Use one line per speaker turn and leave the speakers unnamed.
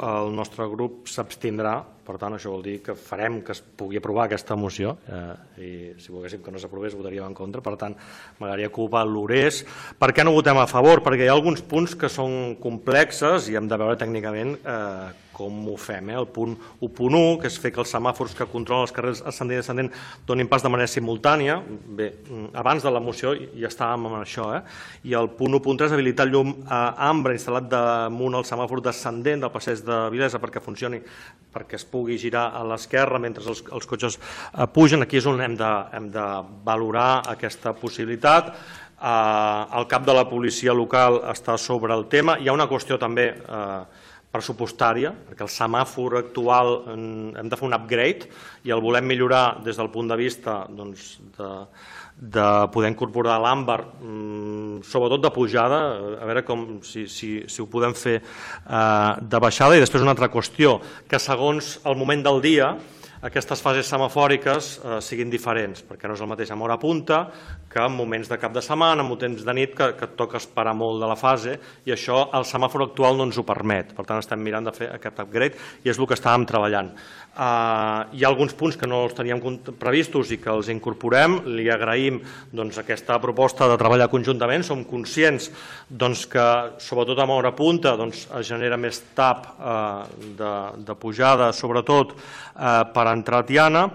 el nostre grup s'abstindrà, per tant això vol dir que farem que es pugui aprovar aquesta moció i si volguéssim que no s'aprovés votaríem en contra, per tant m'agradaria que ho valorés. Per què no votem a favor? Perquè hi ha alguns punts que són complexes i hem de veure tècnicament com ho fem. El punt 1.1, que és fer que els semàfors que controlen els carrers ascendent i descendent donin pas de manera simultània. Bé, abans de la moció ja estàvem amb això. I el punt 1.3, habilitar el llum ambre instal·lat damunt el semàfor descendent del passeig de Vilesa perquè funcioni, perquè es pugui girar a l'esquerra mentre els cotxes pugen. Aquí és on hem de valorar aquesta possibilitat. El cap de la policia local està sobre el tema. Hi ha una qüestió també pressupostària, perquè el semàfor actual hem de fer un upgrade i el volem millorar des del punt de vista de poder incorporar l'àmbar, sobretot de pujada, a veure si ho podem fer de baixada. I després una altra qüestió, que segons el moment del dia aquestes fases semafòriques siguin diferents, perquè no és el mateix en hora punta que en moments de cap de setmana, en temps de nit, que et toca esperar molt de la fase, i això el semàfor actual no ens ho permet. Per tant, estem mirant de fer aquest upgrade i és el que estàvem treballant. Hi ha alguns punts que no els teníem previstos i que els incorporem. Li agraïm aquesta proposta de treballar conjuntament. Som conscients que, sobretot en hora punta, es genera més tap de pujada, sobretot per entrar a Tiana,